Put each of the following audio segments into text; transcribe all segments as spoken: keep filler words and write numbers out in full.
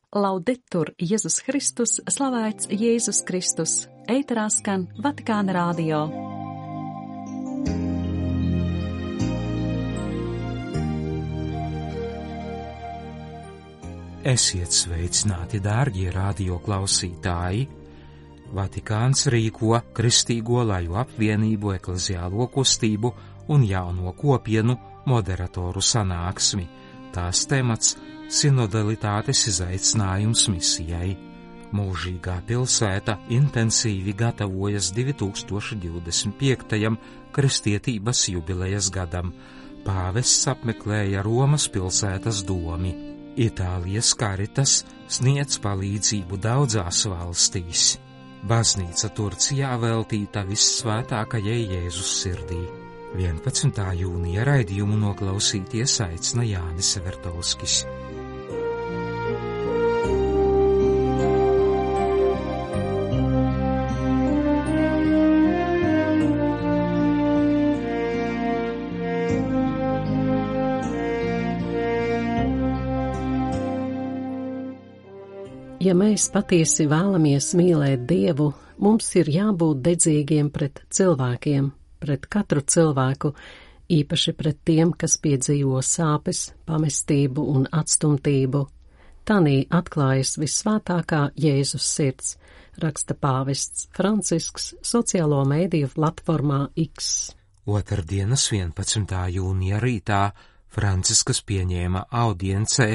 Laudetur Jēzus Kristus, slavēts Jēzus Kristus, ēterā skan Vatikāna radio. Esiet sveicināti, dārgie radio klausītāji! Vatikāns rīko Kristīgo laju apvienību, ekleziālo kustību un jauno kopienu moderatoru sanāksmi. Tās temats – sinodalitātes izaicinājums misijai. Mūžīgā pilsēta intensīvi gatavojas divi tūkstoši divdesmit piektajam kristietības jubilejas gadam. Pāvests apmeklēja Romas pilsētas domi. Itālijas Caritas sniedz palīdzību daudzās valstīs. Baznīca Turcijā veltīta vissvētākajai Jēzus sirdī. vienpadsmitā jūnija raidījumu noklausīties aicina Jānis Vertovskis. Ja mēs patiesi vēlamies mīlēt Dievu, mums ir jābūt dedzīgiem pret cilvēkiem, pret katru cilvēku, īpaši pret tiem, kas piedzīvo sāpes, pamestību un atstumtību. Tanī atklājas vissvētākā Jēzus sirds, raksta pāvests Francisks sociālo mēdīju platformā X. Otrdienas vienpadsmitā jūnija rītā Franciskas pieņēma audiencē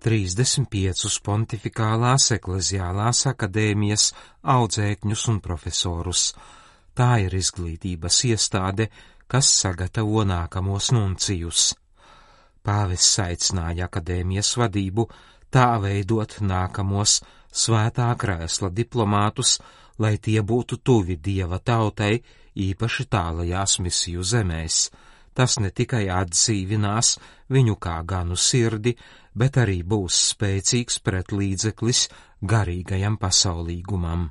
trīsdesmit piecus pontifikālās ekleziālās akadēmijas audzēkņus un profesorus. Tā ir izglītības iestāde, kas sagatavo nākamos nuncijus. Pāvests aicināja akadēmijas vadību tā veidot nākamos svētā krēsla diplomātus, lai tie būtu tuvi Dieva tautai, īpaši tālajās misiju zemēs. Tas ne tikai atdzīvinās viņu kā ganu sirdi, bet arī būs spēcīgs pretlīdzeklis garīgajam pasaulīgumam.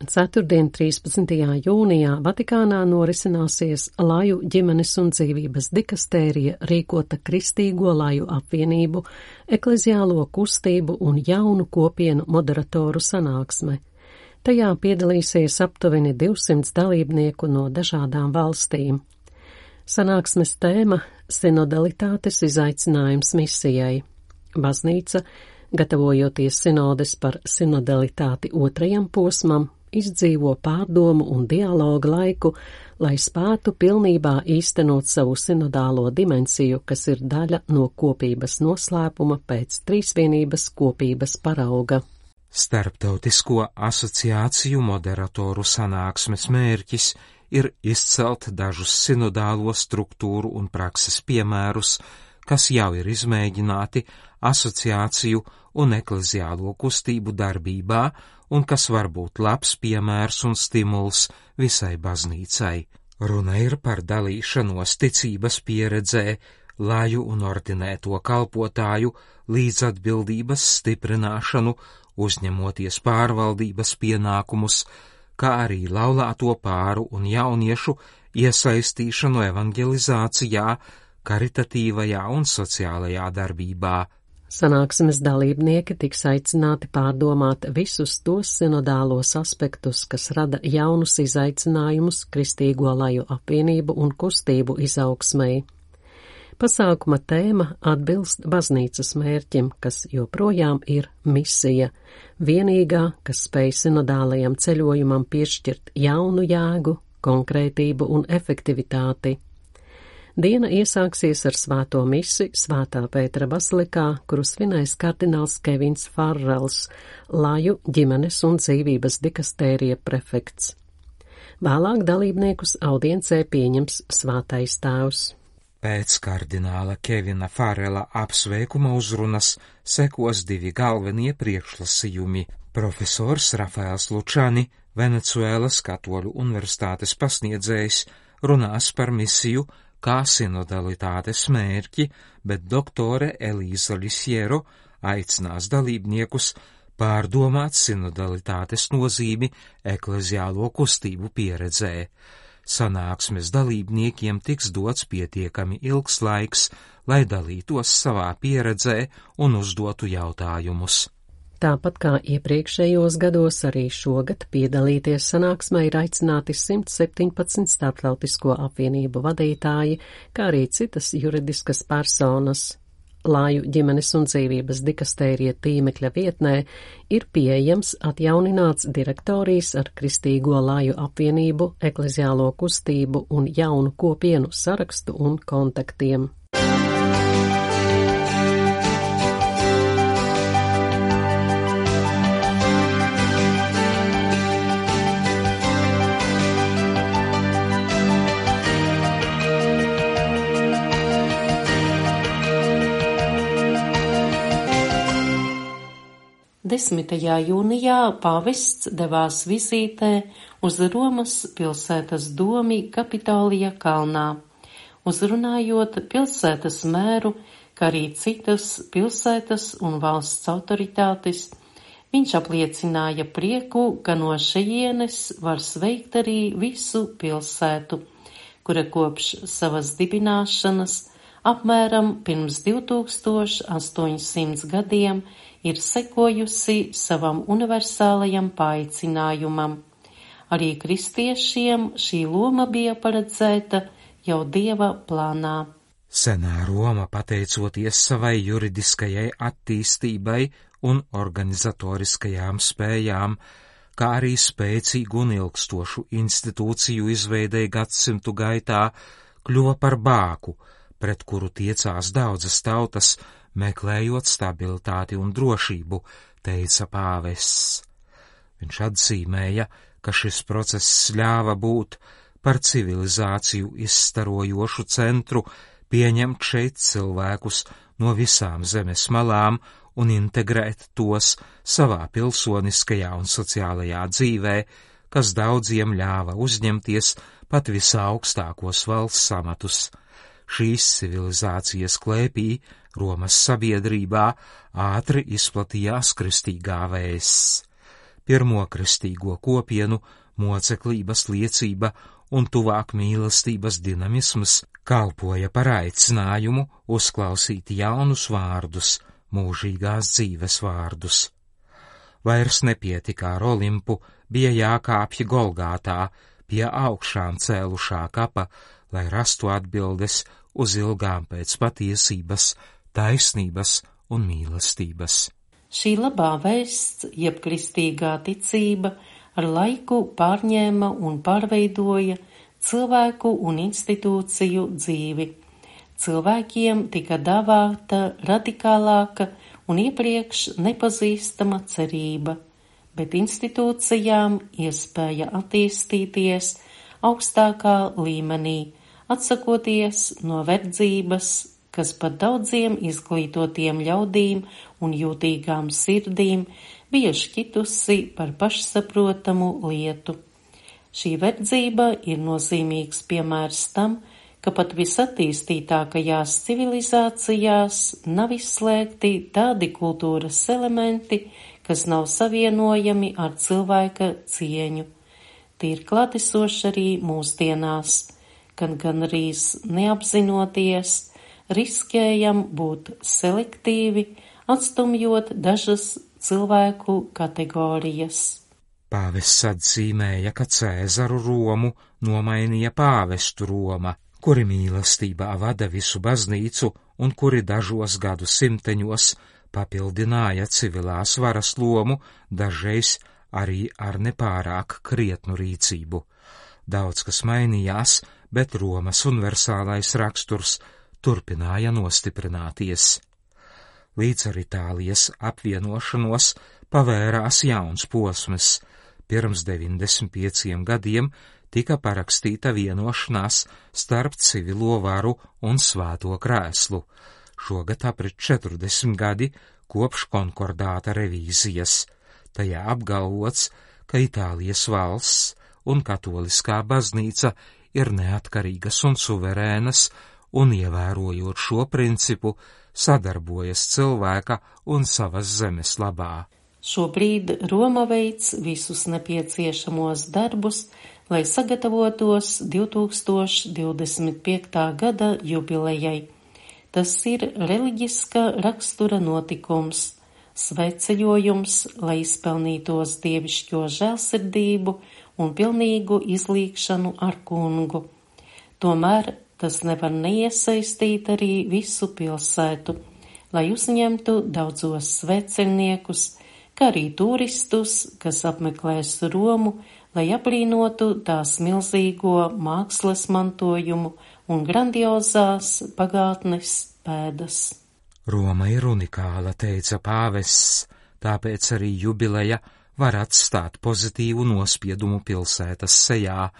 Ceturtdien, trīspadsmitajā jūnijā Vatikānā norisināsies Laju ģimenes un dzīvības dikastērija rīkota Kristīgo laju apvienību, ekleziālo kustību un jaunu kopienu moderatoru sanāksme. Tajā piedalīsies aptuveni divsimt dalībnieku no dažādām valstīm. Sanāksmes tēma – sinodalitātes izaicinājums misijai. Baznīca, gatavojoties sinodes par sinodalitāti otrajam posmam, izdzīvo pārdomu un dialogu laiku, lai spētu pilnībā īstenot savu sinodālo dimensiju, kas ir daļa no kopības noslēpuma pēc trīsvienības kopības parauga. Starptautisko asociāciju moderatoru sanāksmes mērķis ir izcelt dažus sinodālo struktūru un prakses piemērus, kas jau ir izmēģināti asociāciju un ekleziālo kustību darbībā un kas var būt labs piemērs un stimuls visai baznīcai. Runa ir par dalīšanos ticības pieredzē, laju un ordinēto kalpotāju līdzatbildības stiprināšanu, uzņemoties pārvaldības pienākumus, kā arī laulāto pāru un jauniešu iesaistīšanu evangelizācijā, karitatīvajā un sociālajā darbībā. Sanāksmes dalībnieki tiks aicināti pārdomāt visus tos sinodālos aspektus, kas rada jaunus izaicinājumus Kristīgo laju apvienību un kustību izaugsmei. Pasākuma tēma atbilst baznīcas mērķim, kas joprojām ir misija, vienīgā, kas spēj sinodālajam ceļojumam piešķirt jaunu jēgu, konkrētību un efektivitāti. Diena iesāksies ar svēto misi Svētā Pētera bazilikā, kuru svinēs kardināls Kevins Farrels, Laju ģimenes un dzīvības dikastērija prefekts. Vēlāk dalībniekus audiencē pieņems svētais tēvs. Pēc kardināla Kevina Farrela apsveikuma uzrunas sekos divi galvenie priekšlasījumi. Profesors Rafaels Lučani, Venecuēlas Katoļu universitātes pasniedzējs, runās par misiju kā sinodalitātes mērķi, bet doktore Elīza Lisiero aicinās dalībniekus pārdomāt sinodalitātes nozīmi ekleziālo kustību pieredzē. Sanāksmes dalībniekiem tiks dots pietiekami ilgs laiks, lai dalītos savā pieredzē un uzdotu jautājumus. Tāpat kā iepriekšējos gados, arī šogad piedalīties sanāksmē ir aicināti simt septiņpadsmit starptautisko apvienību vadītāji, kā arī citas juridiskas personas. Lāju ģimenes un dzīvības dikastērija tīmekļa vietnē ir pieejams atjaunināts direktorijas ar Kristīgo Lāju apvienību, ekleziālo kustību un jaunu kopienu sarakstu un kontaktiem. desmitajā jūnijā pāvests devās vizītē uz Romas pilsētas domi Kapitolija kalnā, uzrunājot pilsētas mēru, kā arī citas pilsētas un valsts autoritātes. Viņš apliecināja prieku, ka no šejienes var sveikt arī visu pilsētu, kura kopš savas dibināšanas apmēram pirms divtūkstoš astoņsimt gadiem ir sekojusi savam universālajam paaicinājumam. Arī kristiešiem šī loma bija paredzēta jau Dieva plānā. Senā Roma, pateicoties savai juridiskajai attīstībai un organizatoriskajām spējām, kā arī spēcīgu un ilgstošu institūciju izveidei gadsimtu gaitā, kļuva par bāku, pret kuru tiecās daudzas tautas, meklējot stabilitāti un drošību, teica pāvests. Viņš atzīmēja, ka šis process ļāva būt par civilizāciju izstarojošu centru, pieņemt šeit cilvēkus no visām zemes malām un integrēt tos savā pilsoniskajā un sociālajā dzīvē, kas daudziem ļāva uzņemties pat visaugstākos valsts amatus. Šīs civilizācijas klēpī Romas sabiedrībā ātri izplatījās kristīgā vēsts. Pirmo kristīgo kopienu moceklības liecība un tuvāk mīlestības dinamisms kalpoja par aicinājumu uzklausīt jaunus vārdus, mūžīgās dzīves vārdus. Vairs nepietika ar Olimpu, bija jākāpj Golgātā pie augšām cēlušā kapa, lai rastu atbildes uz ilgām pēc patiesības, taisnības un mīlestības. Šī labā vēsts, jeb kristīgā ticība, ar laiku pārņēma un pārveidoja cilvēku un institūciju dzīvi. Cilvēkiem tika dāvāta radikālāka un iepriekš nepazīstama cerība, bet institūcijām iespēja attīstīties augstākā līmenī, atsakoties no verdzības, kas pat daudziem izglītotiem ļaudīm un jūtīgām sirdīm bija šķitusi par pašsaprotamu lietu. Šī verdzība ir nozīmīgs piemērs tam, ka pat visattīstītākajās civilizācijās nav izslēgti tādi kultūras elementi, kas nav savienojami ar cilvēka cieņu. Tie ir klātesoši arī mūsdienās, kad gan arī neapzinoties, riskējam būt selektīvi, atstumjot dažas cilvēku kategorijas. Pāvests atzīmēja, ka Cēzaru Romu nomainīja pāvestu Roma, kuri mīlestībā vada visu baznīcu un kuri dažos gadu simteņos papildināja civilās varas lomu, dažreiz arī ar nepārāk krietnu rīcību. Daudz kas mainījās, bet Romas universālais raksturs turpināja nostiprināties. Līdz ar Itālijas apvienošanos pavērās jauns posms. Pirms deviņdesmit pieciem gadiem tika parakstīta vienošanās starp civilo varu un svēto krēslu. Šogad aprit četrdesmit gadi kopš konkordāta revīzijas. Tajā apgalvots, ka Itālijas valsts un katoliskā baznīca ir neatkarīgas un suverēnas, un ievērojot šo principu, sadarbojas cilvēka un savas zemes labā. Šobrīd Roma veic visus nepieciešamos darbus, lai sagatavotos divtūkstoš divdesmit piektā gada jubilejai. Tas ir reliģiska rakstura notikums, svētceļojums, lai izpelnītos dievišķo žēlsirdību un pilnīgu izlīgšanu ar kungu. Tomēr tas nevar neiesaistīt arī visu pilsētu, lai uzņemtu daudzos svētceļniekus, kā arī turistus, kas apmeklēs Romu, lai aplīnotu tās milzīgo mākslas mantojumu un grandiozās pagātnes pēdas. Roma ir unikāla, teica pāvests, tāpēc arī jubileja var atstāt pozitīvu nospiedumu pilsētas sejā,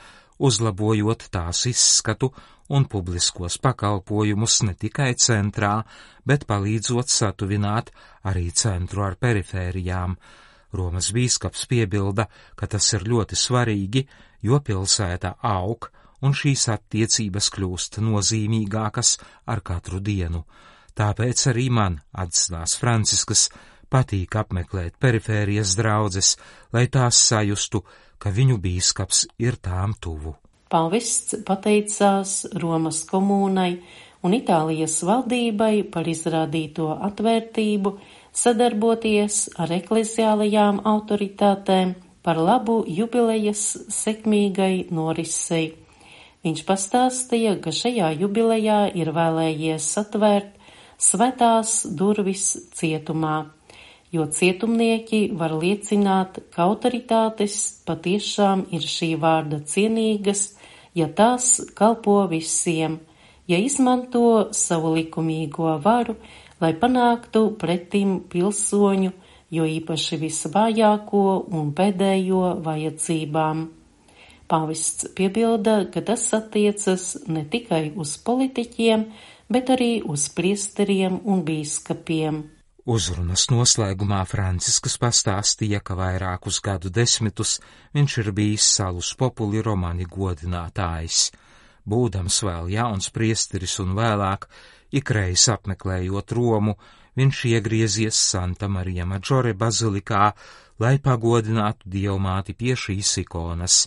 uzlabojot tās izskatu un publiskos pakalpojumus ne tikai centrā, bet palīdzot satuvināt arī centru ar perifērijām. Romas bīskaps piebilda, ka tas ir ļoti svarīgi, jo pilsēta aug un šīs attiecības kļūst nozīmīgākas ar katru dienu. Tāpēc arī man, atzinās Franciskas, patīk apmeklēt perifērijas draudzes, lai tās sajustu, ka viņu bīskaps ir tām tuvu. Pāvests pateicās Romas komūnai un Itālijas valdībai par izrādīto atvērtību, sadarboties ar ekleziālajām autoritātēm par labu jubilejas sekmīgai norisei. Viņš pastāstīja, ka šajā jubilejā ir vēlējies atvērt svētās durvis cietumā, jo cietumnieki var liecināt, ka autoritātes patiešām ir šī vārda cienīgas, ja tās kalpo visiem, ja izmanto savu likumīgo varu, lai panāktu pretim pilsoņu, jo īpaši visvājāko un pēdējo vajadzībām. Pāvests piebilda, ka tas attiecas ne tikai uz politiķiem, bet arī uz priesteriem un bīskapiem. Uzrunas noslēgumā Franciskas pastāstīja, ka vairākus gadu desmitus viņš ir bijis Salus Populi Romani godinātājs. Būdams vēl jauns priesteris un vēlāk, ikreiz apmeklējot Romu, viņš iegriezies Santa Marija Maggiore bazilikā, lai pagodinātu Dievmāti pie šīs ikonas.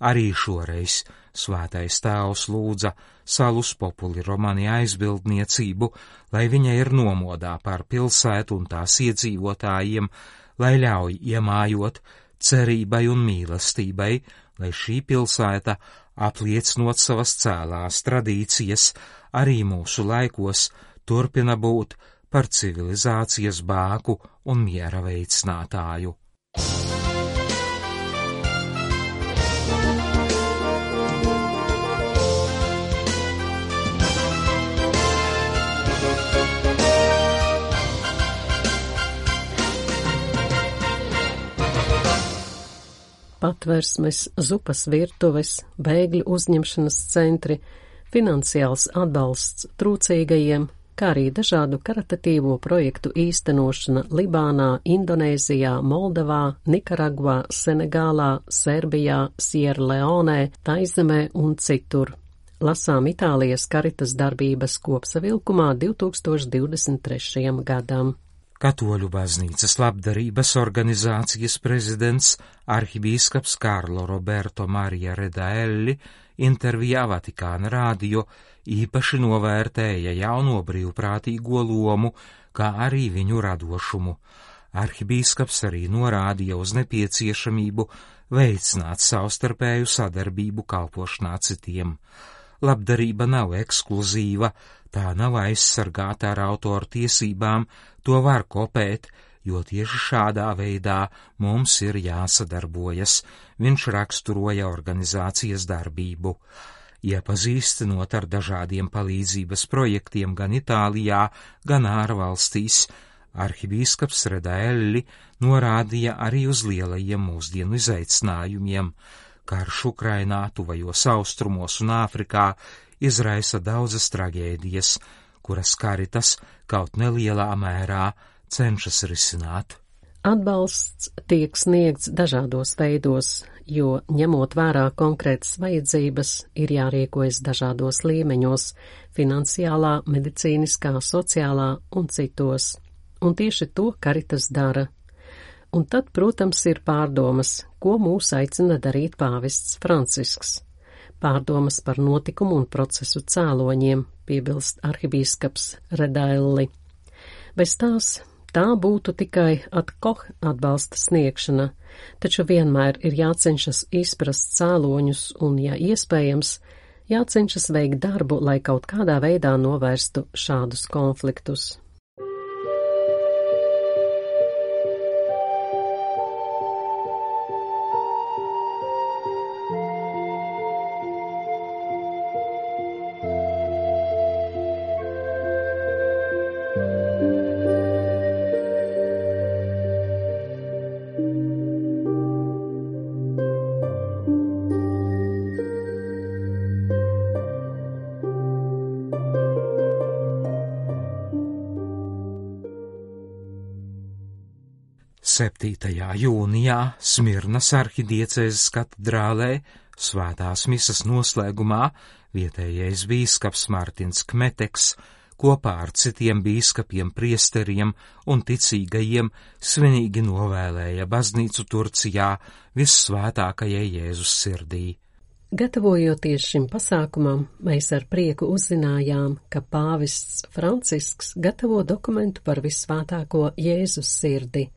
Arī šoreiz svētais tēvs lūdza Salus Populi Romani aizbildniecību, lai viņa ir nomodā par pilsētu un tās iedzīvotājiem, lai ļauj iemājot cerībai un mīlestībai, lai šī pilsēta, apliecinot savas cēlās tradīcijas, arī mūsu laikos turpina būt par civilizācijas bāku un miera veicinātāju. Patversmes, zupas virtuves, bēgļu uzņemšanas centri, finansiāls atbalsts trūcīgajiem, kā arī dažādu karitatīvo projektu īstenošana Libānā, Indonēzijā, Moldavā, Nikaragvā, Senegālā, Serbijā, Sierleonē, Taizemē un citur. Lasām Itālijas Caritas darbības kopsavilkumā divi tūkstoši divdesmit trešajam gadam. Katoļu baznīcas labdarības organizācijas prezidents arhibīskaps Karlo Roberto Marija Redaelli intervijā Vatikāna rādio īpaši novērtēja jauno brīvprātīgo lomu, kā arī viņu radošumu. Arhibīskaps arī norādīja uz nepieciešamību veicināt savstarpēju sadarbību kalpošanā citiem. Labdarība nav ekskluzīva, tā nav aizsargāta ar autoru tiesībām, to var kopēt, jo tieši šādā veidā mums ir jāsadarbojas, viņš raksturoja organizācijas darbību. Iepazīstinot ar dažādiem palīdzības projektiem gan Itālijā, gan ārvalstīs, arhibīskaps Redaelli norādīja arī uz lielajiem mūsdienu izaicinājumiem. Karš Ukrainā, tuvajos austrumos un Āfrikā izraisa daudzas traģēdijas, kuras Caritas kaut nelielā mērā cenšas risināt. Atbalsts tiek sniegts dažādos veidos, jo, ņemot vērā konkrētas vajadzības, ir jārīkojas dažādos līmeņos – finansiālā, medicīniskā, sociālā un citos. Un tieši to Caritas dara. Un tad, protams, ir pārdomas, ko mūs aicina darīt pāvests Francisks. Pārdomas par notikumu un procesu cēloņiem, piebilst arhibīskaps Redaelli. Bez tās tā būtu tikai ad hoc atbalsta sniegšana, taču vienmēr ir jācenšas izprast cēloņus un, ja iespējams, jācenšas veikt darbu, lai kaut kādā veidā novērstu šādus konfliktus. septītajā jūnijā Smirnas arhidiecēzes katedrālē svētās misas noslēgumā vietējais bīskaps Mārtiņš Kmeteks kopā ar citiem bīskapiem, priesteriem un ticīgajiem svinīgi novēlēja baznīcu Turcijā vissvētākajai Jēzus sirdī. Gatavojoties šim pasākumam, mēs ar prieku uzzinājām, ka pāvests Francisks gatavo dokumentu par vissvētāko Jēzus sirdi.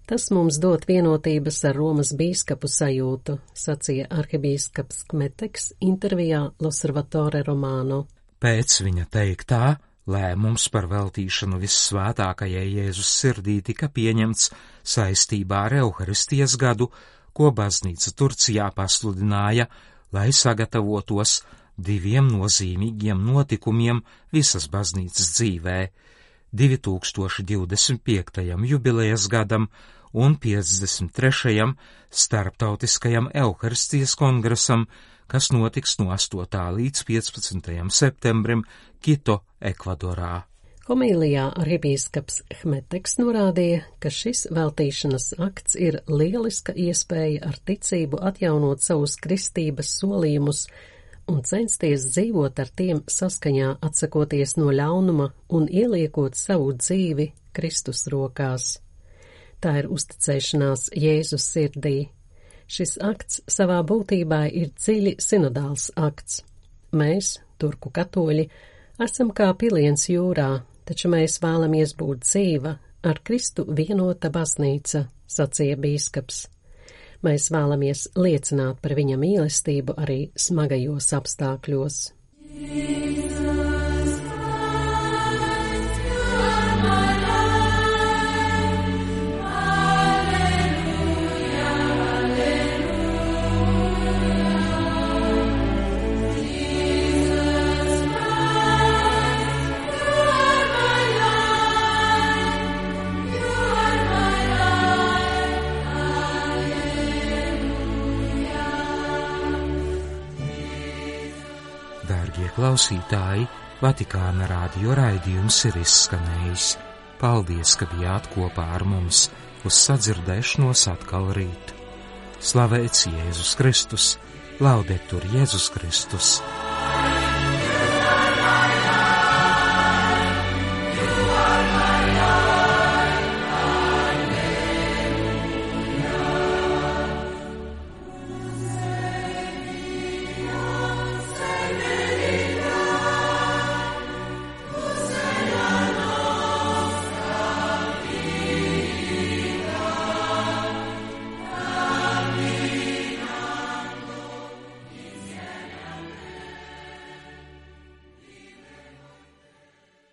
Tas mums dod vienotības ar Romas bīskapu sajūtu, sacīja arhibīskaps Kmeteks intervijā L'Osservatore Romano. Pēc viņa teiktā, lēmums par veltīšanu vissvētākajai Jēzus sirdī tika pieņemts saistībā ar Euharistijas gadu, ko baznīca Turcijā pasludināja, lai sagatavotos diviem nozīmīgiem notikumiem visas baznīcas dzīvē – divi tūkstoši divdesmit piektajam jubilejas gadam un piecdesmit trešajam starptautiskajam Euharistijas kongresam, kas notiks no astotā līdz piecpadsmitajam septembrim Kito, Ekvadorā. Homīlijā arhibīskaps Kmeteks norādīja, ka šis veltīšanas akts ir lieliska iespēja ar ticību atjaunot savus kristības solījumus un censties dzīvot ar tiem saskaņā, atsakoties no ļaunuma un ieliekot savu dzīvi Kristus rokās. Tā ir uzticēšanās Jēzus sirdī. Šis akts savā būtībā ir dziļi sinodāls akts. Mēs, turku katoļi, esam kā piliens jūrā, taču mēs vēlamies būt dzīva, ar Kristu vienota baznīca, sacīja bīskaps. Mēs vēlamies liecināt par viņa mīlestību arī smagajos apstākļos. Dārgie klausītāji, Vatikāna radio raidījums ir izskanējis. Paldies, ka bijāt kopā ar mums, uz sadzirdēšanos atkal rīt. Slavēts Jēzus Kristus, laudetur Jēzus Kristus!